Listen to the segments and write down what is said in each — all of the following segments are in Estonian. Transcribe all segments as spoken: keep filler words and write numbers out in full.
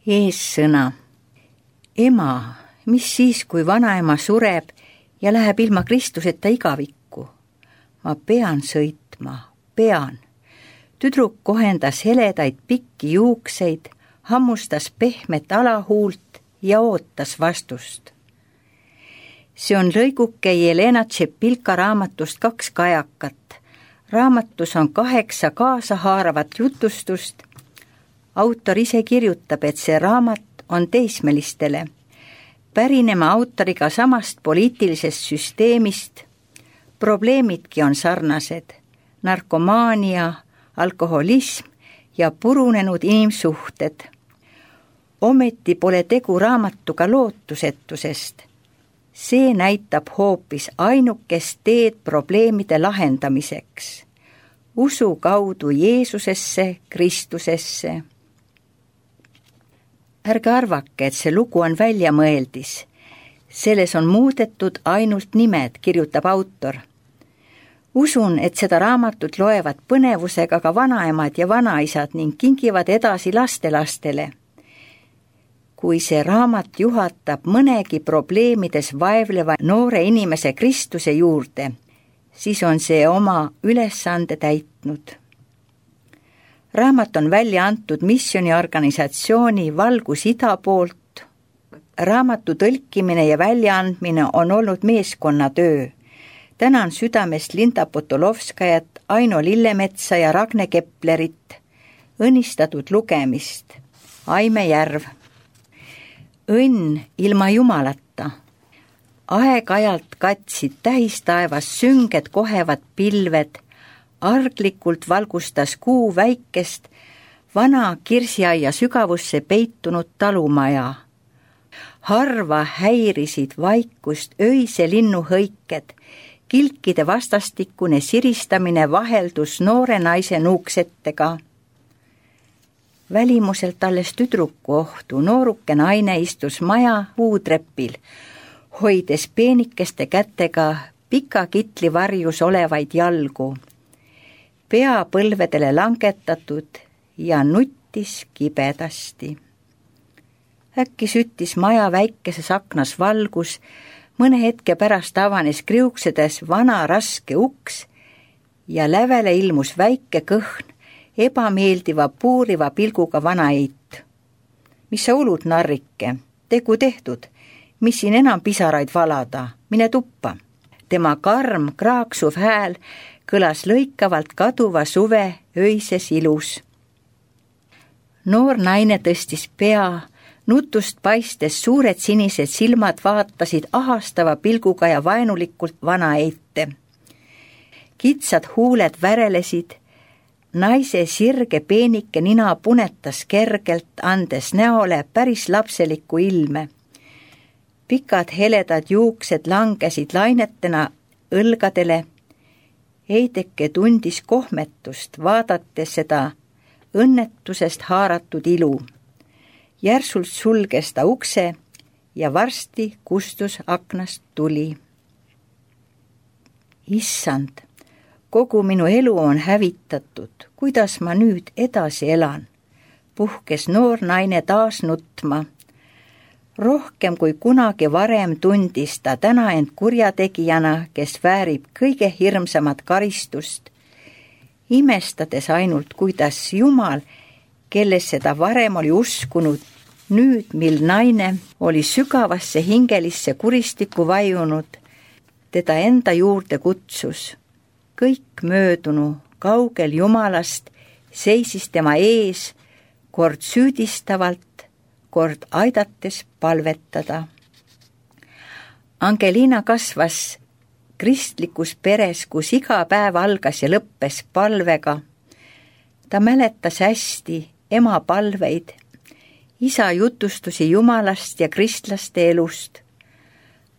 Eessõna. Ema, mis siis, kui vanaema sureb ja läheb ilma Kristuseta igavikku? Ma pean sõitma, pean. Tüdruk kohendas heledaid pikki juukseid, hammustas pehmet alahuult ja ootas vastust. See on lõiguke Jelena Tšepilka raamatust Kaks kajakat. Raamatus on kaheksa kaasahaaravat jutustust. Autor ise kirjutab, et see raamat on teismelistele, pärinema autoriga samast poliitilisest süsteemist. Probleemidki on sarnased, narkomaania, alkoholism ja purunenud inimsuhted. Ometi pole tegu raamatuga lootusetusest. See näitab hoopis ainukest teed probleemide lahendamiseks. Usu kaudu Jeesusesse, Kristusesse. Ärge arvake, et see lugu on väljamõeldis. Selles on muudetud ainult nimed, kirjutab autor. Usun, et seda raamatut loevad põnevusega ka vanaemad ja vanaisad ning kingivad edasi lastelastele. Kui see raamat juhatab mõnegi probleemides vaevleva noore inimese Kristuse juurde, siis on see oma ülesande täitnud. Raamat on välja antud missioniorganisatsiooni Valgus Ida poolt. Raamatu tõlkimine ja väljaandmine on olnud meeskonnatöö. Tänan südamest Linda Potolovskajat, Aino Lillemetsa ja Ragne Keplerit. Õnnistatud lugemist. Aime Järv. Õnn ilma jumalata. Aeg-ajalt katsid tähistaevas sünged kohevad pilved. Arglikult valgustas kuu väikest, vana kirsiaia sügavusse peitunud talumaja. Harva häirisid vaikust öise linnuhõiked, kilkide vastastikune siristamine vaheldus noore naise nuuksettega. Välimuselt alles tüdruku ohtu nooruke naine istus maja puutrepil, hoides peenikeste kätega pika kitli varjus olevaid jalgu. Pea põlvedele langetatud ja nuttis kibedasti. Äkki süttis maja väikeses aknas valgus, mõne hetke pärast avanes kriuksedes vana raske uks ja lävele ilmus väike kõhn, ebameeldiva puuriva pilguga vanaeit. Mis sa ulud, narrike? Tegu tehtud, mis siin enam pisaraid valada, mine tuppa. Tema karm kraaksuv hääl kõlas lõikavalt kaduva suve öises ilus. Noor naine tõstis pea, nutust paistes suured sinised silmad vaatasid ahastava pilguga ja vaenulikult vana eite. Kitsad huuled värelesid, naise sirge peenike nina punetas kergelt, andes näole päris lapseliku ilme. Pikad heledad juuksed langesid lainetena õlgadele. Eideke tundis kohmetust, vaadates seda õnnetusest haaratud ilu. Järsult sulges ta ukse ja varsti kustus aknast tuli. Issand, kogu minu elu on hävitatud, kuidas ma nüüd edasi elan? Puhkes noor naine taas nutma. Rohkem kui kunagi varem tundis ta täna end kurjategijana, kes väärib kõige hirmsamat karistust, imestades ainult, kuidas Jumal, kellesse ta varem oli uskunud, nüüd, mil naine oli sügavasse hingelisse kuristikku vajunud, teda enda juurde kutsus. Kõik möödunu kaugel Jumalast seisis tema ees, kord süüdistavalt, kord aidates palvetada. Angelina kasvas kristlikus peres, kus iga päev algas ja lõppes palvega. Ta mäletas hästi ema palveid, isa jutustusi Jumalast ja kristlaste elust.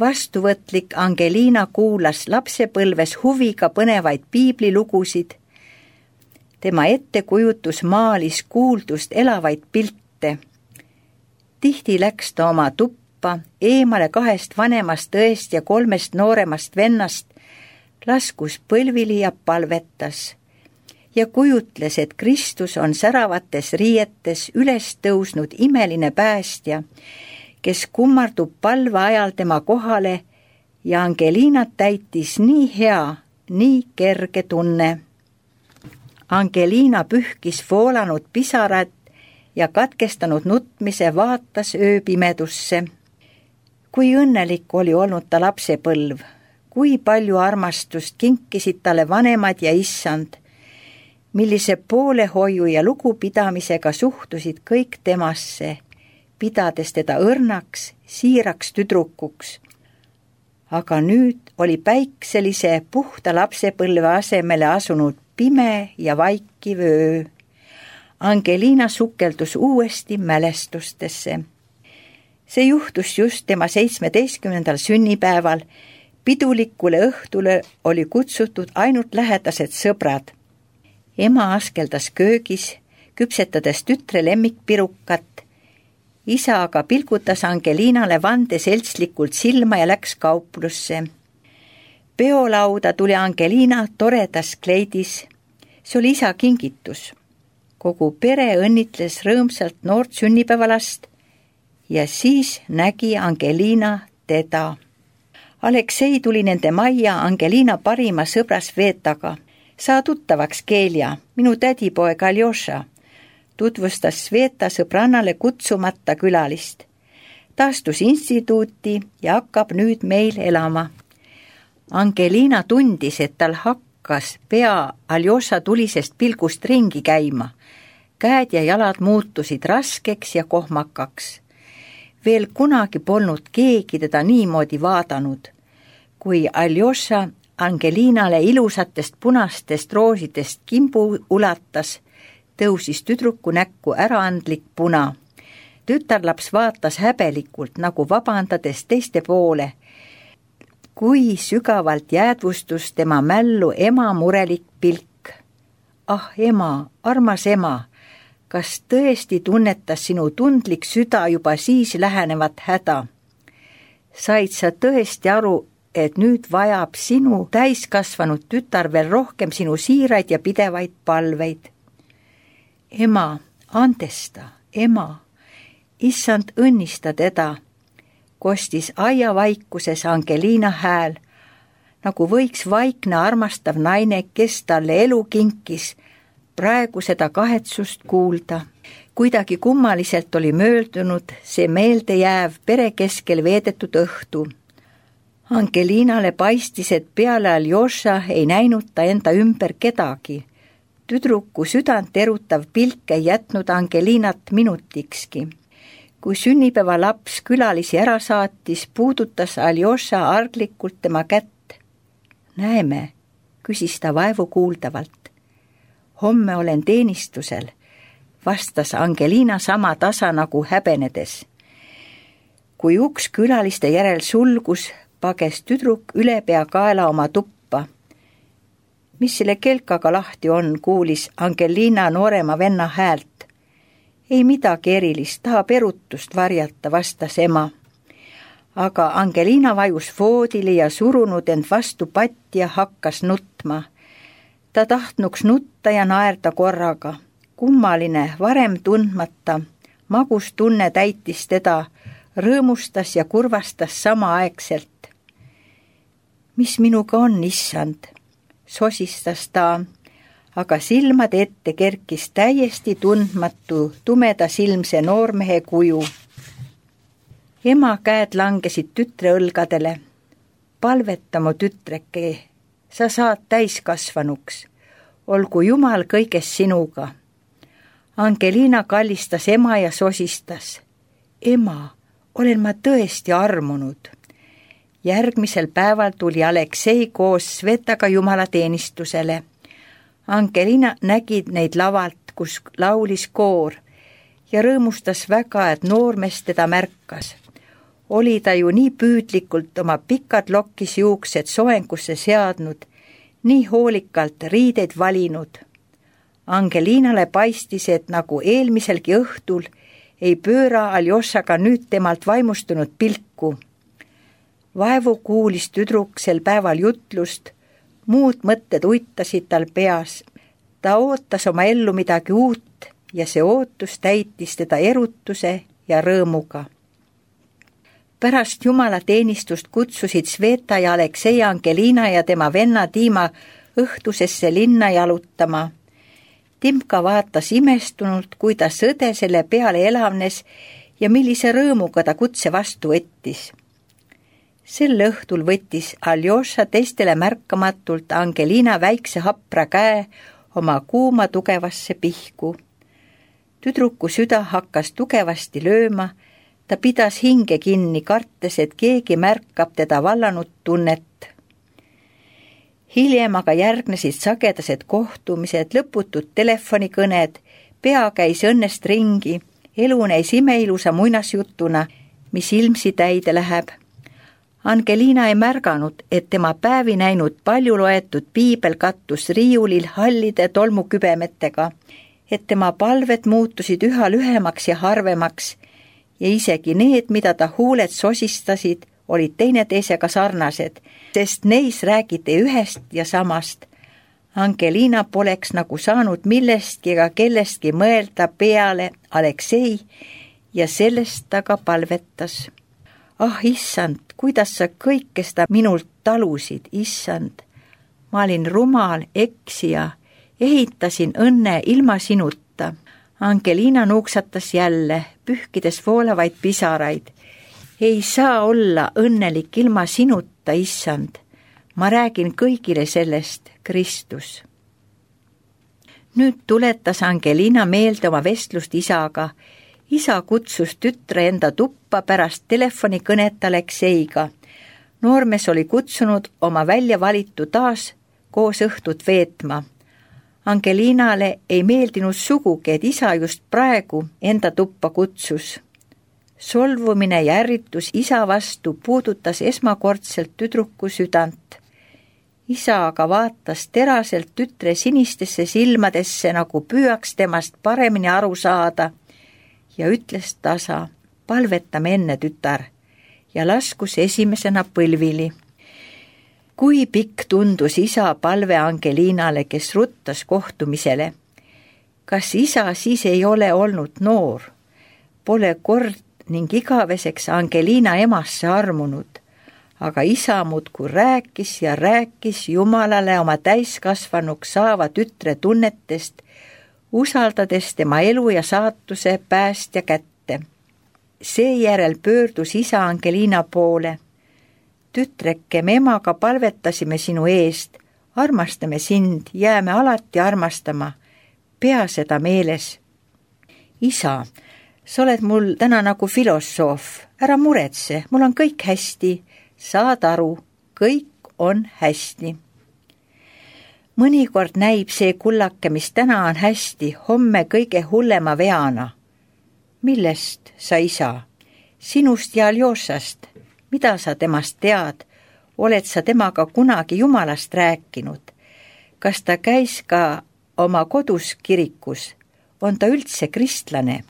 Vastuvõtlik Angelina kuulas lapsepõlves huviga põnevaid piiblilugusid. Tema ettekujutus maalis kuuldust elavaid pilte. Tihti läks ta oma tuppa, eemale kahest vanemast õest ja kolmest nooremast vennast, laskus põlvili ja palvetas. ja kujutles, et Kristus on säravates riietes üles tõusnud imeline päästja, kes kummardub palve ajal tema kohale ja Angelinat täitis nii hea, nii kerge tunne. Angelina pühkis voolanud pisarad ja katkestanud nutmise vaatas ööpimedusse. Kui õnnelik oli olnud ta lapsepõlv, kui palju armastust kinkisid talle vanemad ja issand, millise poolehoiu ja lugupidamisega suhtusid kõik temasse, pidades teda õrnaks, siiraks tüdrukuks. Aga nüüd oli päikselise puhta lapsepõlve asemele asunud pime ja vaikiv öö. Angelina sukeldus uuesti mälestustesse. See juhtus just tema seitsmeteistkümnendal sünnipäeval. Pidulikule õhtule oli kutsutud ainult lähedased sõbrad. Ema askeldas köögis, küpsetades tütre lemmikpirukat. Isa aga pilgutas Angelinale vande seltslikult silma ja läks kauplusse. Peolauda tuli Angelina toredas kleidis. See oli isa kingitus. Kogu pere õnnitles rõõmsalt noort sünnipäevalast ja siis nägi Angelina teda. Aleksei tuli nende majja Angelina parima sõbra Svetaga. Saa tuttavaks, Kelja, minu tädipoeg Aljoša, tutvustas Sveta sõbrannale kutsumata külalist. Ta astus instituuti ja hakkab nüüd meil elama. Angelina tundis, et tal hakkas pea Aljoša tulisest pilgust ringi käima. Käed ja jalad muutusid raskeks ja kohmakaks. Veel kunagi polnud keegi teda niimoodi vaadanud. Kui Aljoša Angelinale ilusatest punastest roosidest kimbu ulatas, tõusis tüdruku näkku äraandlik puna. Tütarlaps vaatas häbelikult, nagu vabandades teiste poole. Kui sügavalt jäädvustus tema mällu ema murelik pilk. Ah, ema, armas ema, kas tõesti tunnetas sinu tundlik süda juba siis lähenevat häda? Said sa tõesti aru, et nüüd vajab sinu täiskasvanud tütar veel rohkem sinu siiraid ja pidevaid palveid? Ema, andesta, ema, issand õnnista teda, kostis aiavaikuses Angelina hääl, nagu võiks vaikne armastav naine, kes talle elu kinkis, praegu seda kahetsust kuulda. Kuidagi kummaliselt oli möödunud see meeldejääv pere keskel veedetud õhtu. Angelinale paistis, et peale Aljoša ei näinud ta enda ümber kedagi. Tüdruku südant erutav pilk ei jätnud Angelinat minutikski. Kui sünnipäeva laps külalisi ära saatis, puudutas Aljoša arglikult tema kätt. Näeme, küsis ta vaevu kuuldavalt. Homme olen teenistusel, vastas Angelina sama tasa nagu häbenedes. Kui uks külaliste järel sulgus, pages tüdruk üle pea kaela oma tuppa. Mis selle kelkaga lahti on, kuulis Angelina noorema venna häält. Ei midagi erilist, tahab erutust varjata, vastas ema. Aga Angelina vajus voodile ja surunud end vastu patti ja hakkas nutma. Ta tahtnuks nutta ja naerda korraga. Kummaline, varem tundmata, magus tunne täitis teda, rõõmustas ja kurvastas samaaegselt. Mis minuga on, issand? Sosistas ta, aga silmade ette kerkis täiesti tundmatu tumeda silmse noormehe kuju. Ema käed langesid tütre õlgadele. Palveta mu tütreke, sa saad täiskasvanuks. Olgu Jumal kõiges sinuga. Angelina kallistas ema ja sosistas. Ema, olen ma tõesti armunud. Järgmisel päeval tuli Aleksei koos Svetaga jumalateenistusele. Angelina nägi neid lavalt, kus laulis koor ja rõõmustas väga, et noormees teda märkas. Oli ta ju nii püüdlikult oma pikad lokkis juuksed soengusse seadnud, nii hoolikalt riideid valinud. Angelinale paistis, et nagu eelmiselgi õhtul ei pööra Aljošaga nüüd temalt vaimustunud pilku. Vaevu kuulis tüdruk sel päeval jutlust, muud mõtted uitasid tal peas. Ta ootas oma ellu midagi uut ja see ootus täitis teda erutuse ja rõõmuga. Pärast jumalateenistust kutsusid Sveta ja Aleksei Angelina ja tema venna Dima õhtusesse linna jalutama. Timka vaatas imestunult, kui ta sõde selle peale elavnes ja millise rõõmuga ta kutse vastu võttis. Sel õhtul võttis Aljoša teistele märkamatult Angelina väikse hapra käe oma kuuma tugevasse pihku. Tüdruku süda hakkas tugevasti lööma, ta pidas hinge kinni, kartes, et keegi märkab teda vallanud tunnet. Hiljem aga järgnesid sagedased kohtumised, lõputud telefonikõned, pea käis õnnest ringi, elu näis imeilusa muinasjutuna, mis ilmsi täide läheb. Angelina ei märganud, et tema päevi näinud palju loetud piibel kattus riiulil hallide tolmukübemetega, et tema palved muutusid üha lühemaks ja harvemaks ja isegi need, mida ta huuled sosistasid, olid teineteisega sarnased, sest neis räägiti ühest ja samast. Angelina poleks nagu saanud millestki ega kellestki mõelda peale Aleksei ja sellest ta ka palvetas. Ah, issand, kuidas sa kõike seda minult talusid, issand. Ma olin rumal, eksija, ehitasin õnne ilma sinuta. Angelina nuuksatas jälle, pühkides voolavaid pisaraid. Ei saa olla õnnelik ilma sinuta, issand. Ma räägin kõigile sellest, Kristus. Nüüd tuletas Angelina meelde oma vestlust isaga. Isa kutsus tütre enda tuppa pärast telefonikõnet Alekseiga. Noormees oli kutsunud oma välja valitu taas koos õhtut veetma. Angelinale ei meeldinud sugugi, et isa just praegu enda tuppa kutsus. Solvumine ja ärritus isa vastu puudutas esmakordselt tüdruku südant. Isa aga vaatas teraselt tütre sinistesse silmadesse, nagu püüaks temast paremini aru saada ja ütles tasa, palvetame enne, tütar, ja laskus esimesena põlvili. Kui pikk tundus isa palve Angelinale, kes ruttas kohtumisele. Kas isa siis ei ole olnud noor? Pole kord ning igaveseks Angelina emasse armunud, aga isa muudkui rääkis ja rääkis Jumalale oma täiskasvanuks saava tütre tunnetest, usaldades tema elu ja saatuse päästja kätte. Seejärel pöördus isa Angelina poole. Tütreke, me emaga palvetasime sinu eest, armastame sind, jääme alati armastama, pea seda meeles. Isa, sa oled mul täna nagu filosoof, ära muretse, mul on kõik hästi, saad aru, kõik on hästi. Mõnikord näib see kullake, mis täna on hästi, homme kõige hullema veana. Millest sa, isa? Sinust ja Aljošast. Mida sa temast tead? Oled sa temaga kunagi Jumalast rääkinud? Kas ta käis ka oma kodus kirikus? On ta üldse kristlane?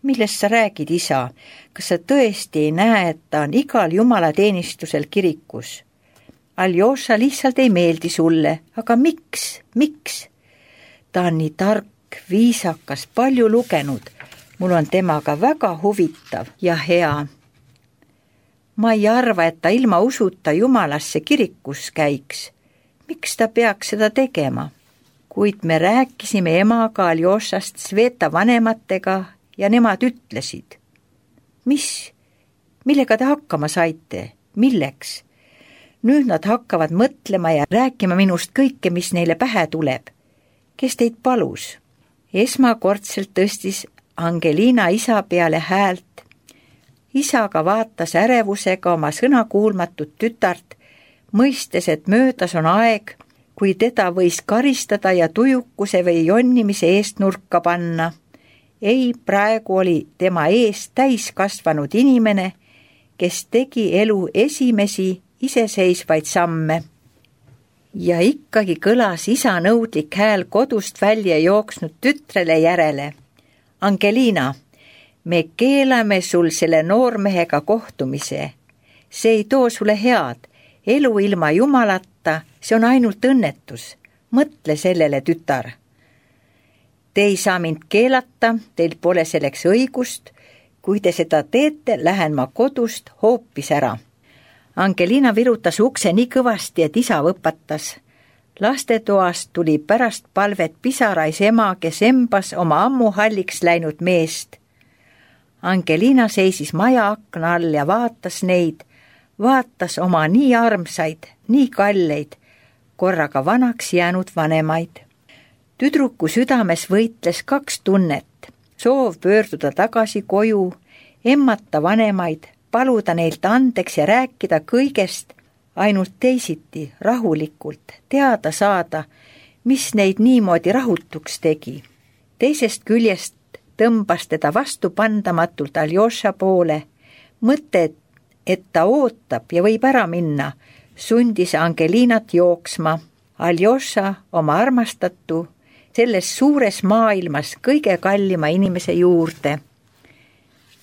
Millest sa räägid, isa? Kas sa tõesti ei näe, et ta on igal jumalateenistusel kirikus? Aljoša lihtsalt ei meeldi sulle, aga miks, miks? Ta on nii tark, viisakas, palju lugenud. Mul on temaga väga huvitav ja hea. Ma ei arva, et ta ilma usuta Jumalasse kirikus käiks. Miks ta peaks seda tegema? Kuid me rääkisime emaga Aljošast Sveta vanematega ja nemad ütlesid. Mis? Millega te hakkama saite? Milleks? Nüüd nad hakkavad mõtlema ja rääkima minust kõike, mis neile pähe tuleb. Kes teid palus? Esmakordselt tõstis Angelina isa peale häält. Isaga vaatas ärevusega oma sõnakuulmatut tütart, mõistes, et möödas on aeg, kui teda võis karistada ja tujukuse või jonnimise eest nurka panna. Ei, praegu oli tema ees täiskasvanud inimene, kes tegi elu esimesi iseseisvaid samme. Ja ikkagi kõlas isa nõudlik hääl kodust välja jooksnud tütrele järele. Angelina, me keelame sul selle noormehega kohtumise. See ei too sulle head. Elu ilma Jumalata, see on ainult õnnetus. mõtle sellele, tütar. Te ei saa mind keelata, teil pole selleks õigust. Kui te seda teete, lähen ma kodust hoopis ära. Angelina virutas ukse nii kõvasti, et isa võpatas. Lastetoast tuli pärast palvet pisarais ema, kes embas oma ammu halliks läinud meest. Angelina seisis maja akna all ja vaatas neid, vaatas oma nii armsaid, nii kalleid, korraga vanaks jäänud vanemaid. Tüdruku südames võitles kaks tunnet, soov pöörduda tagasi koju, emmata vanemaid, paluda neilt andeks ja rääkida kõigest, ainult teisiti, rahulikult, teada saada, mis neid niimoodi rahutuks tegi. Teisest küljest tõmbas teda vastupandamatult Aljoša poole. Mõte, et ta ootab ja võib ära minna, sundis Angelinat jooksma. Aljoša, oma armastatu, selles suures maailmas kõige kallima inimese juurde.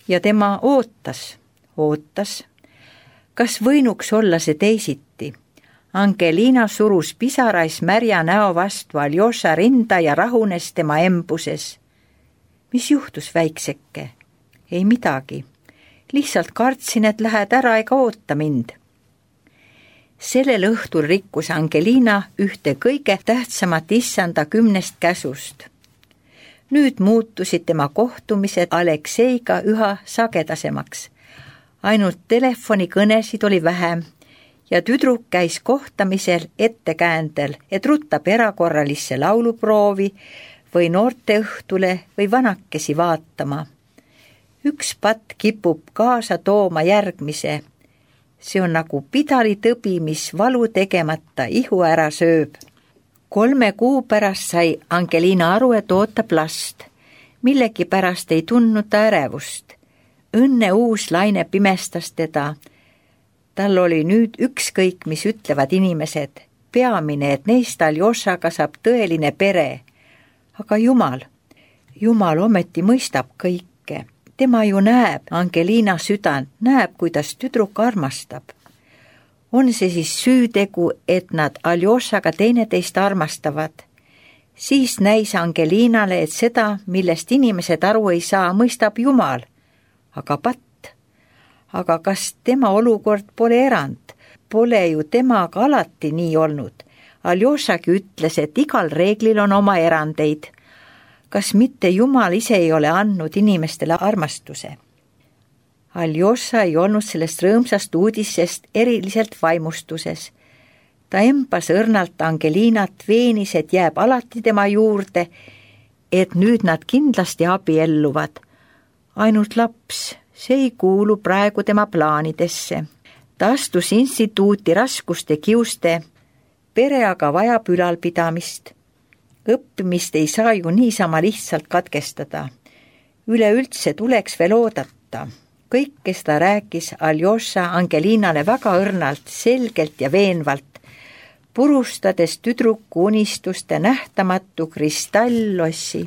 Ja tema ootas, ootas. Kas võinuks olla see teisiti? Angelina surus pisarais märja näo vastu Aljoša rinda ja rahunes tema embuses. Mis juhtus, väikseke? Ei midagi. Lihtsalt kartsin, et lähed ära ega oota mind. Sellel õhtul rikkus Angelina ühte kõige tähtsamat issanda kümnest käsust. Nüüd muutusid tema kohtumised Alekseiga üha sagedasemaks. Ainult telefonikõnesid oli vähem ja tüdruk käis kohtamisel ettekäändel, et rutab erakorralisse lauluproovi või noorteõhtule või vanakesi vaatama. Üks patt kipub kaasa tooma järgmise. See on nagu pidalitõbi, mis valu tegemata ihu ära sööb. Kolme kuu pärast sai Angelina aru, et ootab last. Millegi pärast ei tundnud ta ärevust. Õnne uus laine pimestas teda. Tal oli nüüd ükskõik, mis ütlevad inimesed. Peamine, et neist Aljošaga saab tõeline pere. Aga Jumal, Jumal ometi mõistab kõike. Tema ju näeb Angelina südant, näeb, kuidas tüdruk armastab. On see siis süütegu, et nad Aljošaga teineteist armastavad? Siis näis Angelinale, et seda, millest inimesed aru ei saa, mõistab Jumal. Aga patt, aga kas tema olukord pole erand? Pole ju temaga alati nii olnud. Aljošagi ütles, et igal reeglil on oma erandeid. Kas mitte Jumal ise ei ole andnud inimestele armastuse? Aljoša ei olnud sellest rõõmsast uudisest eriliselt vaimustuses. Ta embas õrnalt Angelinat, veenis, et jääb alati tema juurde, et nüüd nad kindlasti abielluvad. Ainult laps, see ei kuulu praegu tema plaanidesse. Ta astus instituuti raskuste kiuste, pere aga vajab ülalpidamist. Õppimist ei saa ju niisama lihtsalt katkestada. Üleüldse tuleks veel oodata. Kõik, kes ta rääkis Aljoša Angelinale väga õrnalt, selgelt ja veenvalt, purustades tüdruku unistuste nähtamatu kristalllossi.